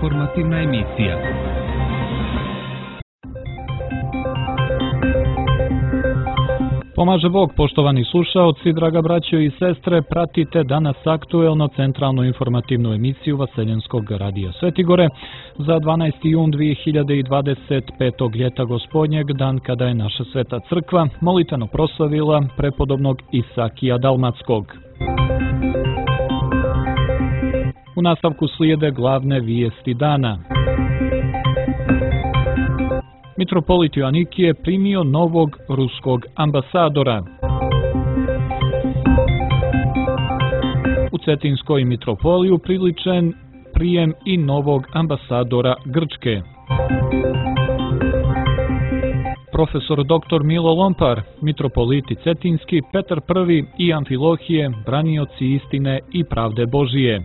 informativna emisija. Pomaže Bog, poštovani slušaoci, draga braćo i sestre, pratite danas aktuelno centralnu informativnu emisiju Vaseljenskog radija Svetigore za 12. jun 2025. ljeta gospodnjeg, dan kada je naša sveta crkva molitveno proslavila prepodobnog Isakija Dalmatskog. U nastavku slijede glavne vijesti dana. Mitropolit Joanikije primio novog ruskog ambasadora. U Cetinskoj mitropoliju priličen prijem i novog ambasadora Grčke. Profesor dr. Milo Lompar, mitropoliti Cetinski, Petar I i Amfilohije, branioci istine i pravde Božije.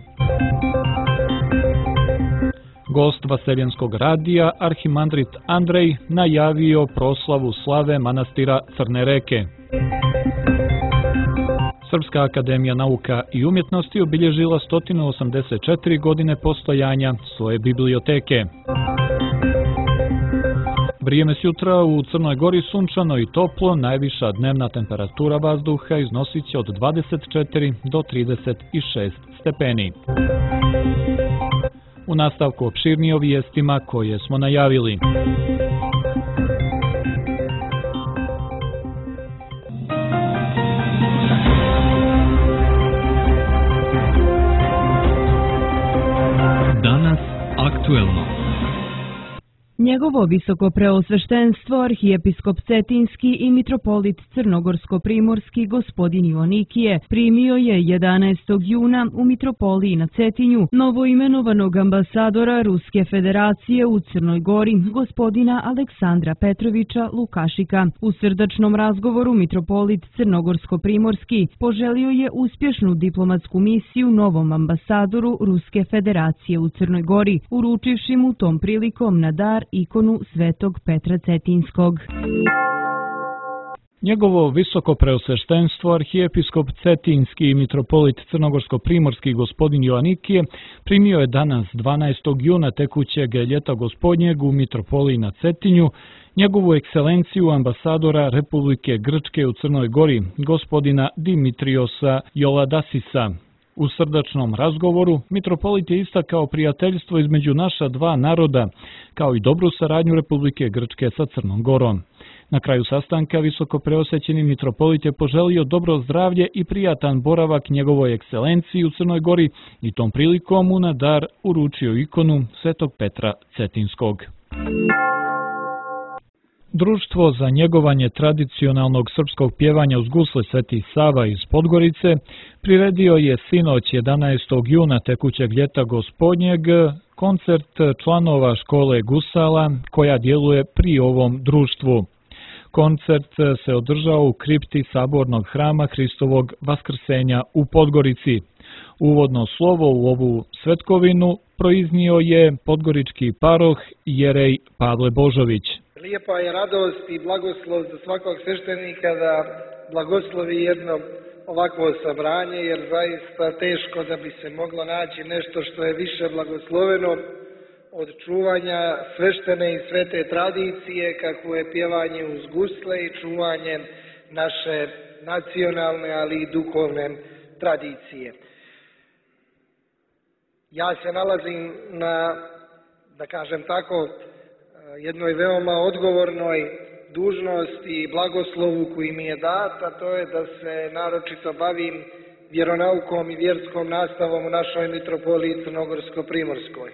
Gost Vaseljenskog radija, arhimandrit Andrej, najavio proslavu slave manastira Crne reke. Srpska akademija nauka i umjetnosti obilježila 184 godine postojanja svoje biblioteke. Vrijeme sutra u Crnoj Gori sunčano i toplo, najviša dnevna temperatura vazduha iznosit će od 24 do 36 stepeni. U nastavku opširnije o vijestima koje smo najavili. Danas aktuelno. Njegovo visoko preosveštenstvo, arhijepiskop Cetinski i mitropolit Crnogorsko-primorski gospodin Joanikije primio je 11. juna u mitropoliji na Cetinju novoimenovanog ambasadora Ruske federacije u Crnoj Gori, gospodina Aleksandra Petrovića Lukašika. U srdačnom razgovoru mitropolit Crnogorsko-primorski poželio je uspješnu diplomatsku misiju novom ambasadoru Ruske federacije u Crnoj Gori, uručivši mu tom prilikom na dar ikonu Svetog Petra Cetinskog. Njegovo visoko preosveštenstvo, arhijepiskop Cetinski i mitropolit Crnogorsko-primorski gospodin Joanikije primio je danas 12. juna tekućeg ljeta gospodnjeg u mitropoliji na Cetinju njegovu ekscelenciju ambasadora Republike Grčke u Crnoj Gori, gospodina Dimitriosa Joladasisa. U srdačnom razgovoru mitropolit je istakao prijateljstvo između naša dva naroda, kao i dobru saradnju Republike Grčke sa Crnom Gorom. Na kraju sastanka visoko preosvećeni mitropolit je poželio dobro zdravlje i prijatan boravak njegovoj ekscelenciji u Crnoj Gori i tom prilikom mu na dar uručio ikonu Svetog Petra Cetinskog. Društvo za njegovanje tradicionalnog srpskog pjevanja uz gusle Sveti Sava iz Podgorice priredio je sinoć 11. juna tekućeg ljeta gospodnjeg koncert članova škole gusala koja djeluje pri ovom društvu. Koncert se održao u kripti Sabornog hrama Hristovog Vaskrsenja u Podgorici. Uvodno slovo u ovu svetkovinu proiznio je podgorički paroh Jerej Pavle Božović. Lijepa je radost i blagoslov za svakog sveštenika da blagoslovi jedno ovakvo sabranje, jer zaista teško da bi se moglo naći nešto što je više blagosloveno od čuvanja sveštene i svete tradicije, kako je pjevanje uz gusle i čuvanje naše nacionalne, ali i duhovne tradicije. Ja se nalazim na, da kažem tako, jednoj veoma odgovornoj dužnosti i blagoslovu koji mi je dat, a to je da se naročito bavim vjeronaukom i vjerskom nastavom u našoj mitropoliji Crnogorsko-primorskoj.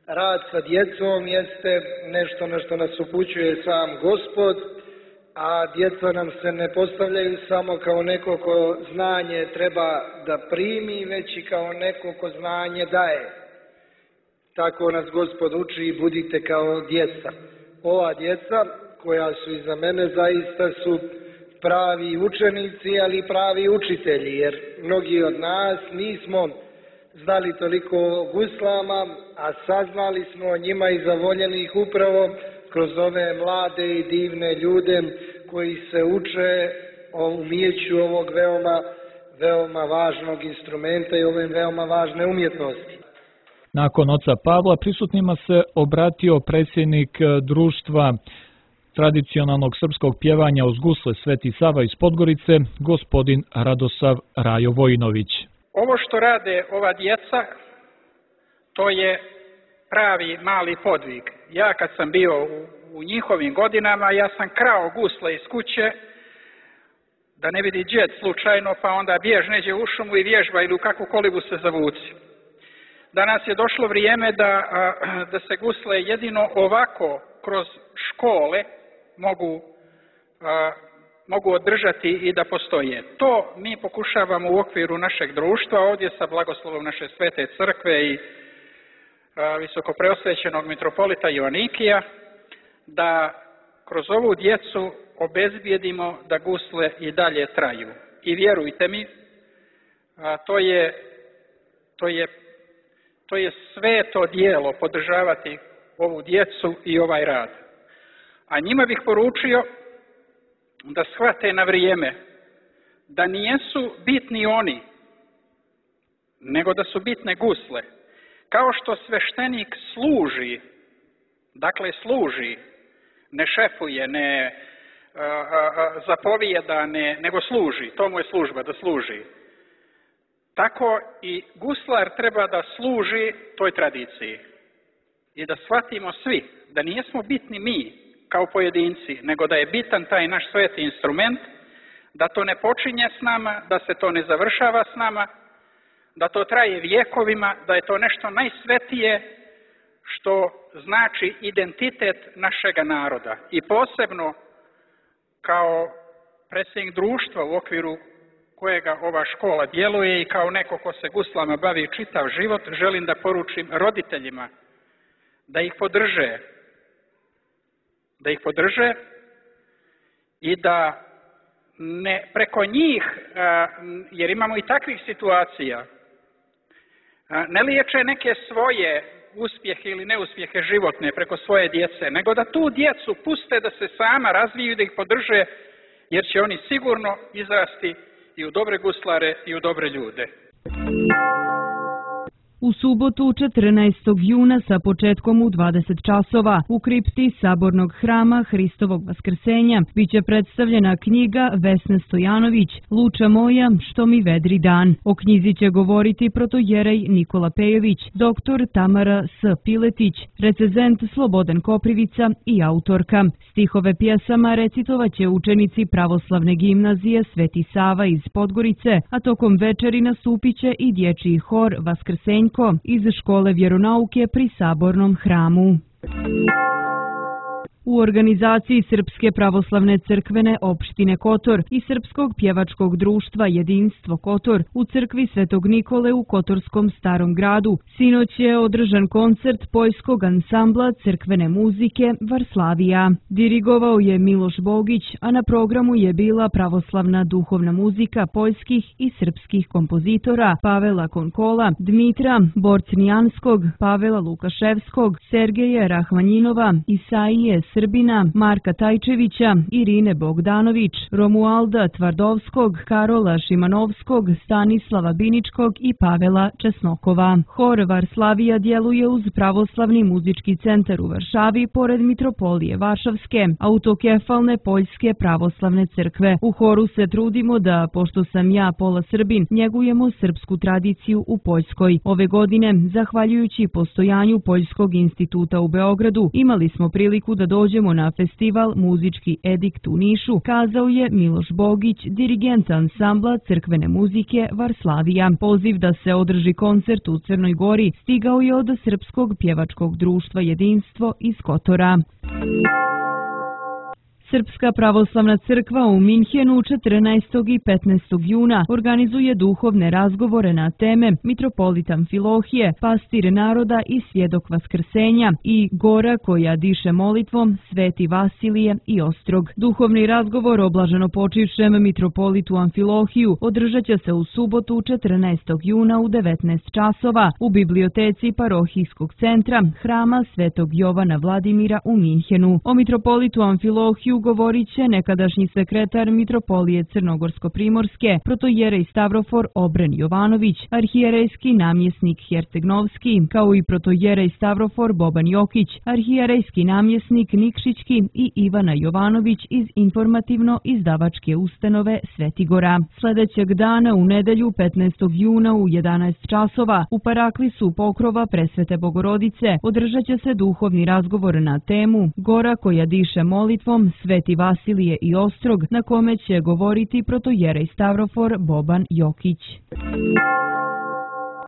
Rad sa djecom jeste nešto na što nas upućuje sam Gospod, a djeca nam se ne postavljaju samo kao neko ko znanje treba da primi, već i kao neko ko znanje daje. Tako nas Gospod uči i budite kao djeca. Ova djeca koja su iza mene zaista su pravi učenici, ali i pravi učitelji, jer mnogi od nas nismo znali toliko o guslama, a saznali smo o njima i zavoljeni ih upravo kroz ove mlade i divne ljude koji se uče o umijeću ovog veoma važnog instrumenta i ove veoma važne umjetnosti. Nakon oca Pavla prisutnima se obratio predsjednik društva tradicionalnog srpskog pjevanja uz gusle Sveti Sava iz Podgorice, gospodin Radosav Rajo Vojinović. Ovo što rade ova djeca, to je pravi mali podvig. Ja kad sam bio u njihovim godinama, ja sam krao gusle iz kuće, da ne vidi džed slučajno, pa onda bjež neđe u šumu i vježba ili u kakvu kolibu se zavuci. Danas je došlo vrijeme da se gusle jedino ovako kroz škole mogu održati i da postoje. To mi pokušavamo u okviru našeg društva, ovdje sa blagoslovom naše svete crkve i visokopreosvećenog mitropolita Joanikija, da kroz ovu djecu obezbijedimo da gusle i dalje traju. I vjerujte mi, to je sveto djelo podržavati ovu djecu i ovaj rad. A njima bih poručio da shvate na vrijeme da nijesu bitni oni, nego da su bitne gusle. Kao što sveštenik služi, ne šefuje, ne zapovijeda, nego služi, to mu je služba, da služi. Tako i guslar treba da služi toj tradiciji. I da shvatimo svi da nijesmo bitni mi kao pojedinci, nego da je bitan taj naš sveti instrument, da to ne počinje s nama, da se to ne završava s nama, da to traje vjekovima, da je to nešto najsvetije što znači identitet našega naroda. I posebno kao predsjednik društva u okviru kojega ova škola djeluje i kao neko ko se guslama bavi čitav život, želim da poručim roditeljima da ih podrže i da ne preko njih, jer imamo i takvih situacija, ne liječe neke svoje uspjehe ili neuspjehe životne preko svoje djece, nego da tu djecu puste da se sama razviju i da ih podrže, jer će oni sigurno izrasti i u dobre guslare i u dobre ljude. U subotu 14. juna sa početkom u 20 časova u kripti Sabornog hrama Hristovog vaskrsenja biće predstavljena knjiga Vesne Stojanović Luča moja, što mi vedri dan. O knjizi će govoriti protojerej Nikola Pejović, doktor Tamara S. Piletić, recezent Slobodan Koprivica i autorka. Stihove pjesama recitovaće učenici pravoslavne gimnazije Sveti Sava iz Podgorice, a tokom večeri nastupiće i dječji hor Vaskrsenj iz škole vjeronauke pri Sabornom hramu. U organizaciji Srpske pravoslavne crkvene opštine Kotor i Srpskog pjevačkog društva Jedinstvo Kotor u crkvi Svetog Nikole u Kotorskom Starom gradu sinoć je održan koncert poljskog ansambla crkvene muzike Varslavija. Dirigovao je Miloš Bogić, a na programu je bila pravoslavna duhovna muzika poljskih i srpskih kompozitora Pavela Konkola, Dmitra Borcnijanskog, Pavela Lukaševskog, Sergeja Rahmanjinova, Isaije Srbina, Marka Tajčevića, Irine Bogdanović, Romualda Tvardovskog, Karola Šimanovskog, Stanislava Biničkog i Pavela Česnokova. Hor Varslavija djeluje uz Pravoslavni muzički centar u Varšavi pored Mitropolije Varšavske, autokefalne Poljske pravoslavne crkve. U horu se trudimo da, pošto sam ja pola Srbin, njegujemo srpsku tradiciju u Poljskoj. Ove godine, zahvaljujući postojanju Poljskog instituta u Beogradu, imali smo priliku da dođemo na festival Muzički edikt u Nišu, kazao je Miloš Bogić, dirigent ansambla crkvene muzike Varslavija. Poziv da se održi koncert u Crnoj Gori stigao je od Srpskog pjevačkog društva Jedinstvo iz Kotora. Srpska pravoslavna crkva u Minhenu 14. i 15. juna organizuje duhovne razgovore na teme Mitropolit Amfilohije, pastir naroda i svjedok vaskrsenja i Gora koja diše molitvom, Sveti Vasilije i Ostrog. Duhovni razgovor o blaženopočivšem mitropolitu Amfilohiju održat će se u subotu 14. juna u 19 časova u biblioteci parohijskog centra Hrama Svetog Jovana Vladimira u Minhenu. O mitropolitu Amfilohiju govorit će nekadašnji sekretar Mitropolije Crnogorsko-primorske, protojerej Stavrofor Obren Jovanović, arhijerejski namjesnik Hercegnovski, kao i protojerej Stavrofor Boban Jokić, arhijerejski namjesnik Nikšićki i Ivana Jovanović iz informativno-izdavačke ustanove Svetigora. Sljedećeg dana u nedelju 15. juna u 11 časova u Paraklisu pokrova Presvete Bogorodice održat će se duhovni razgovor na temu Gora koja diše molitvom, Sveti Vasilije i Ostrog, na kome će govoriti protojerej Stavrofor Boban Jokić.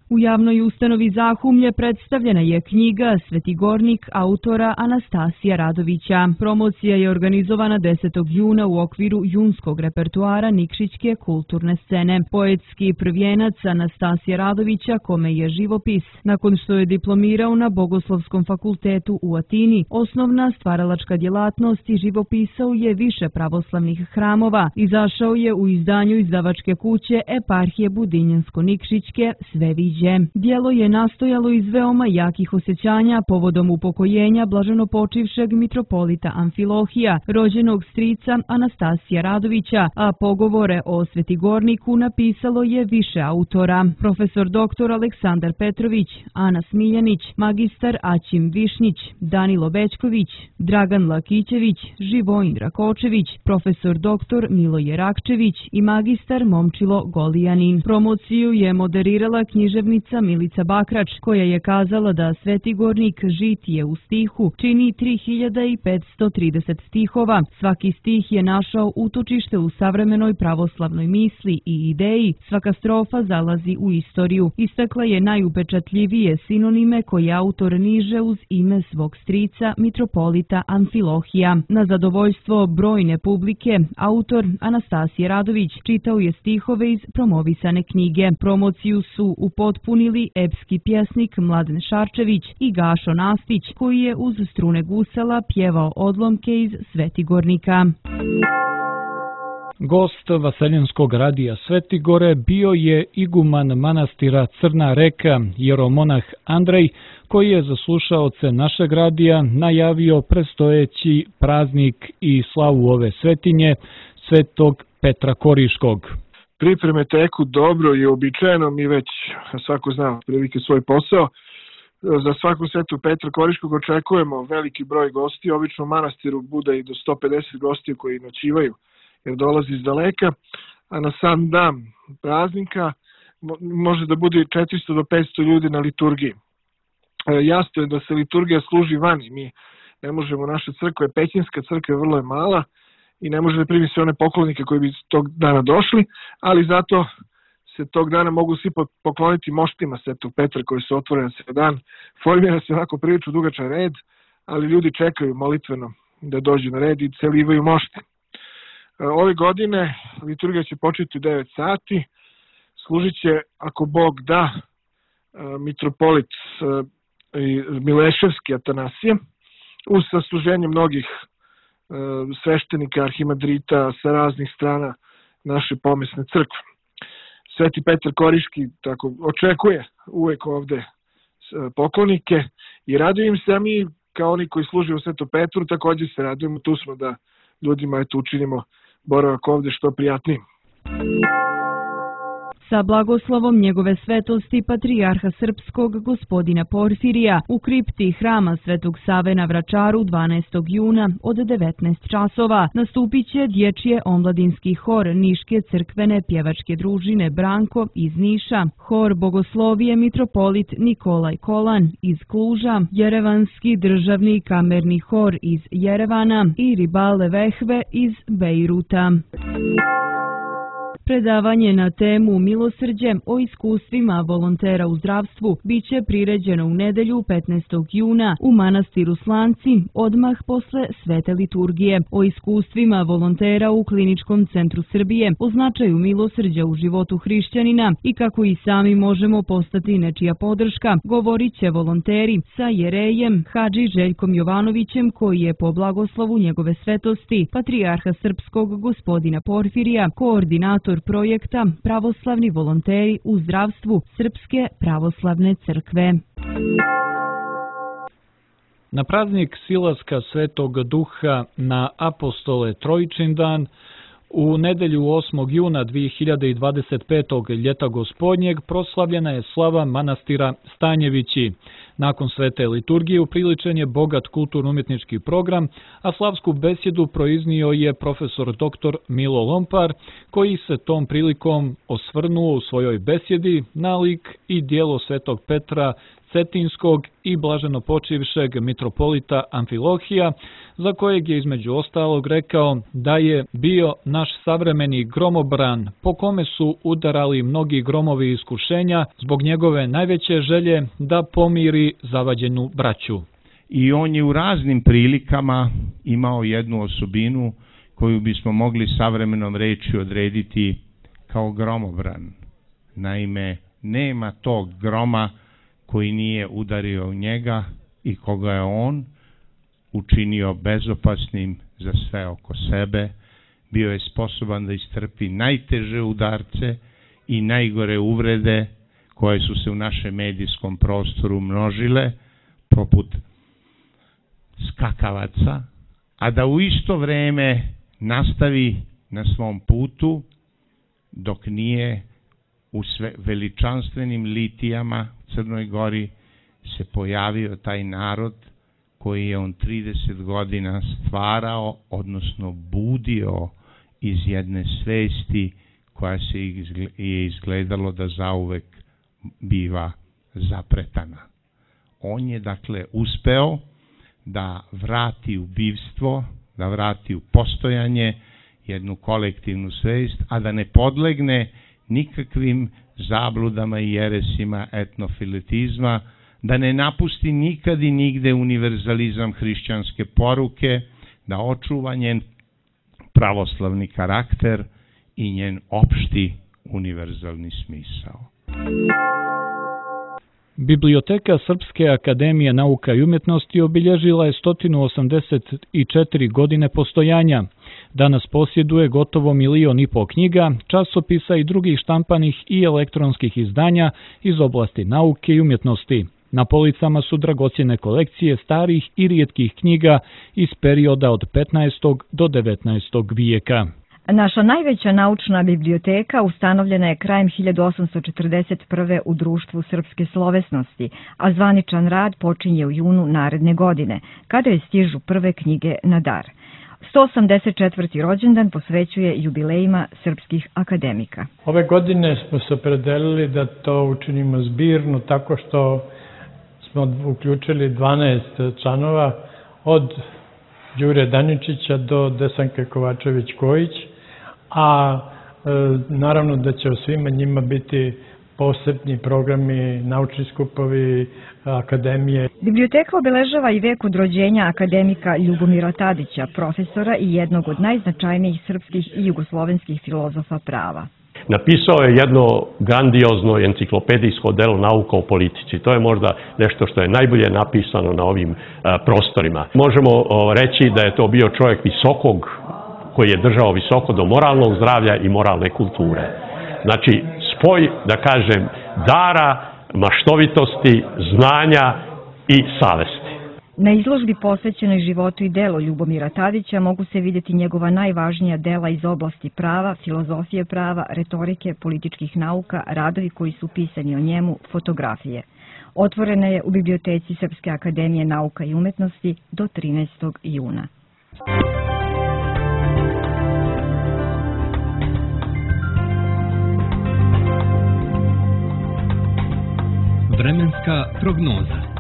U javnoj ustanovi Zahumlje predstavljena je knjiga Svetigornik autora Anastasija Radovića. Promocija je organizovana 10. juna u okviru junskog repertuara Nikšićke kulturne scene. Poetski prvijenac Anastasija Radovića, kome je živopis, nakon što je diplomirao na Bogoslovskom fakultetu u Atini, osnovna stvaralačka djelatnost i živopisao je više pravoslavnih hramova. Izašao je u izdanju izdavačke kuće Eparhije Budinjansko-Nikšićke Sveviđe. Djelo je nastojalo iz veoma jakih osjećanja povodom upokojenja blaženopočivšeg mitropolita Amfilohija, rođenog strica Anastasija Radovića, a pogovore o Svetigorniku napisalo je više autora. Profesor dr. Aleksandar Petrović, Ana Smiljanić, magistar Aćim Višnjić, Danilo Bećković, Dragan Lakićević, Živojin Rakočević, profesor dr. Miloje Rakčević i magistar Momčilo Golijanin. Promociju je moderirala književnica Milica Bakrač, koja je kazala da Svetigornik žitije u stihu čini 3530 stihova. Svaki stih je našao utočište u savremenoj pravoslavnoj misli i ideji, svaka strofa zalazi u istoriju. Istakla je najupečatljivije sinonime koje autor niže uz ime svog strica, mitropolita Amfilohija. Na zadovoljstvo brojne publike, autor Anastasije Radović čitao je stihove iz promovisane knjige. Promociju su upotpunili epski pjesnik Mladen Šarčević i Gašo Nastić, koji je uz strune gusala pjevao odlomke iz Svetigornika. Gost Vaseljenskog radija Svetigore bio je iguman manastira Crna Reka, jeromonah Andrej, koji je za slušaoce našeg radija najavio predstojeći praznik i slavu ove svetinje, Svetog Petra Koriškog. Pripreme teku dobro i uobičajeno, mi već svako zna prilike svoj posao. Za svaku Svetu Petra Koriškog očekujemo veliki broj gosti, obično u manastiru bude i do 150 gostiju koji noćivaju jer dolazi iz daleka, a na sam dan praznika može da bude 400 do 500 ljudi na liturgiji. Jasno je da se liturgija služi vani, mi ne možemo, naša crkva je pećinska, crkva vrlo je mala i ne može da primi sve one poklonike koji bi tog dana došli, ali zato se tog dana mogu svi pokloniti moštima Svetog Petra koji se otvore na sve dan. Formira se onako prilično dugačan red, ali ljudi čekaju molitveno da dođu na red i celivaju mošti. Ove godine liturgija će početi u 9 sati, služit će, ako Bog da, mitropolit Mileševski Atanasije, uz sasluženje mnogih sveštenika, arhimadrita sa raznih strana naše pomesne crkve. Sveti Petar Koriški tako očekuje uvek ovde poklonike i radujem se, a mi kao oni koji služe u Svetom Petru također se radujemo, tu smo da ljudima učinimo boravak ovde što prijatnijim. Sa blagoslovom njegove svetosti patrijarha srpskog gospodina Porfirija u kripti hrama Svetog Save na Vračaru 12. juna od 19 časova nastupit će dječje omladinski hor Niške crkvene pjevačke družine Branko iz Niša, hor Bogoslovije mitropolit Nikolaj Kolan iz Kluža, Jerevanski državni kamerni hor iz Jerevana i Ribale Vehve iz Bejruta. Predavanje na temu Milosrđe o iskustvima volontera u zdravstvu biće priređeno u nedelju 15. juna u manastiru Slanci odmah posle Svete liturgije. O iskustvima volontera u Kliničkom centru Srbije, o značaju milosrđa u životu hrišćanina i kako i sami možemo postati nečija podrška, govorit će volonteri sa jerejem Hadži Željkom Jovanovićem, koji je po blagoslovu njegove svetosti patrijarha srpskog gospodina Porfirija koordinator projekta Pravoslavni volonteri u zdravstvu Srpske pravoslavne crkve. Na praznik silaska Svetog Duha na apostole Trojičin dan, u nedelju 8. juna 2025. ljeta gospodnjeg proslavljena je slava manastira Stanjevići. Nakon svete liturgije upriličen je bogat kulturno-umjetnički program, a slavsku besjedu proiznio je profesor dr. Milo Lompar, koji se tom prilikom osvrnuo u svojoj besjedi na lik i djelo svetog Petra Cetinskog i blaženopočivšeg mitropolita Amfilohija, za kojeg je između ostalog rekao da je bio naš savremeni gromobran, po kome su udarali mnogi gromovi iskušenja zbog njegove najveće želje da pomiri zavađenu braću. I on je u raznim prilikama imao jednu osobinu koju bismo mogli savremenom rečju odrediti kao gromobran. Naime, nema tog groma koji nije udario u njega i koga je on učinio bezopasnim za sve oko sebe. Bio je sposoban da istrpi najteže udarce i najgore uvrede koje su se u našem medijskom prostoru množile, poput skakavaca, a da u isto vreme nastavi na svom putu dok nije u veličanstvenim litijama Crnoj Gori se pojavio taj narod koji je on 30 godina stvarao, odnosno budio iz jedne svesti koja se je izgledalo da zauvek biva zapretana. On je dakle uspeo da vrati u bivstvo, da vrati u postojanje jednu kolektivnu svest, a da ne podlegne nikakvim zabludama i jeresima etnofiletizma, da ne napusti nikad i nigde univerzalizam hrišćanske poruke, da očuva njen pravoslavni karakter i njen opšti univerzalni smisao. Biblioteka Srpske akademije nauka i umjetnosti obilježila je 184 godine postojanja. Danas posjeduje gotovo 1,5 miliona knjiga, časopisa i drugih štampanih i elektronskih izdanja iz oblasti nauke i umjetnosti. Na policama su dragocjene kolekcije starih i rijetkih knjiga iz perioda od 15. do 19. vijeka. Naša najveća naučna biblioteka ustanovljena je krajem 1841. u Društvu srpske slovesnosti, a zvaničan rad počinje u junu naredne godine, kada je stižu prve knjige na dar. 184. rođendan posvećuje jubilejima srpskih akademika. Ove godine smo se opredelili da to učinimo zbirno tako što smo uključili 12 članova od Đure Daničića do Desanke Kovačević-Kojić, a naravno da će o svima njima biti posebni programi, naučni skupovi, akademije. Biblioteka obeležava i vek od rođenja akademika Ljubomira Tadića, profesora i jednog od najznačajnijih srpskih i jugoslovenskih filozofa prava. Napisao je jedno grandiozno enciklopedijsko delo Nauka o politici. To je možda nešto što je najbolje napisano na ovim prostorima. Možemo reći da je to bio čovjek visokog, koji je držao visoko do moralnog zdravlja i moralne kulture. Znači, spoj, da kažem, dara, maštovitosti, znanja i savesti. Na izložbi posvećenoj životu i delu Ljubomira Tadića mogu se vidjeti njegova najvažnija dela iz oblasti prava, filozofije prava, retorike, političkih nauka, radovi koji su pisani o njemu, fotografije. Otvorena je u biblioteci Srpske akademije nauka i umjetnosti do 13. juna. Vremenska prognoza.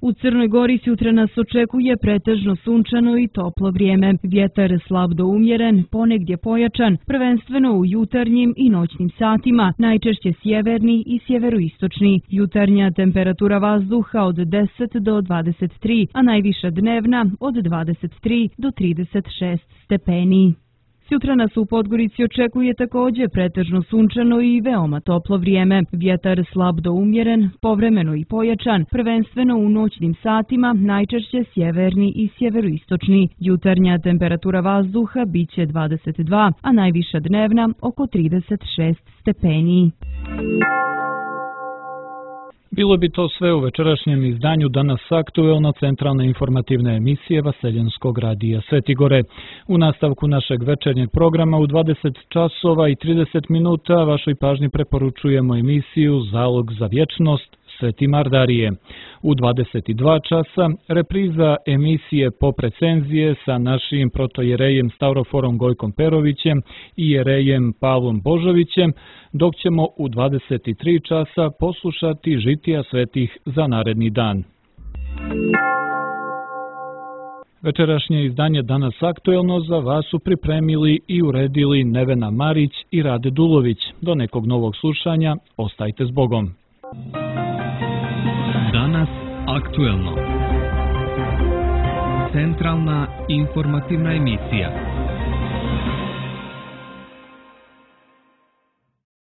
U Crnoj Gori sutra nas očekuje pretežno sunčano i toplo vrijeme. Vjetar slab do umjeren, ponegdje pojačan, prvenstveno u jutarnjim i noćnim satima, najčešće sjeverni i sjeveroistočni. Jutarnja temperatura vazduha od 10 do 23, a najviša dnevna od 23 do 36 stepeni. Sutra nas u Podgorici očekuje također pretežno sunčano i veoma toplo vrijeme. Vjetar slab do umjeren, povremeno i pojačan, prvenstveno u noćnim satima, najčešće sjeverni i sjeveroistočni. Jutarnja temperatura vazduha biće 22, a najviša dnevna oko 36 stepeni. Bilo bi to sve u večerašnjem izdanju Danas aktuelno centralne informativne emisije Vaseljenskog radija Svetigore. U nastavku našeg večernjeg programa u 20 časova i 30 minuta vašoj pažnji preporučujemo emisiju Zalog za vječnost Sveti Mardarije. U 22 časa repriza emisije Pop recenzije sa našim protojerejem Stavroforom Gojkom Perovićem i jerejem Pavlom Božovićem, dok ćemo u 23 časa poslušati žitija svetih za naredni dan. Večerašnje izdanje Danas aktuelno za vas su pripremili i uredili Nevena Marić i Rade Dulović. Do nekog novog slušanja, ostajte s Bogom. Danas aktuelno. Centralna informativna emisija.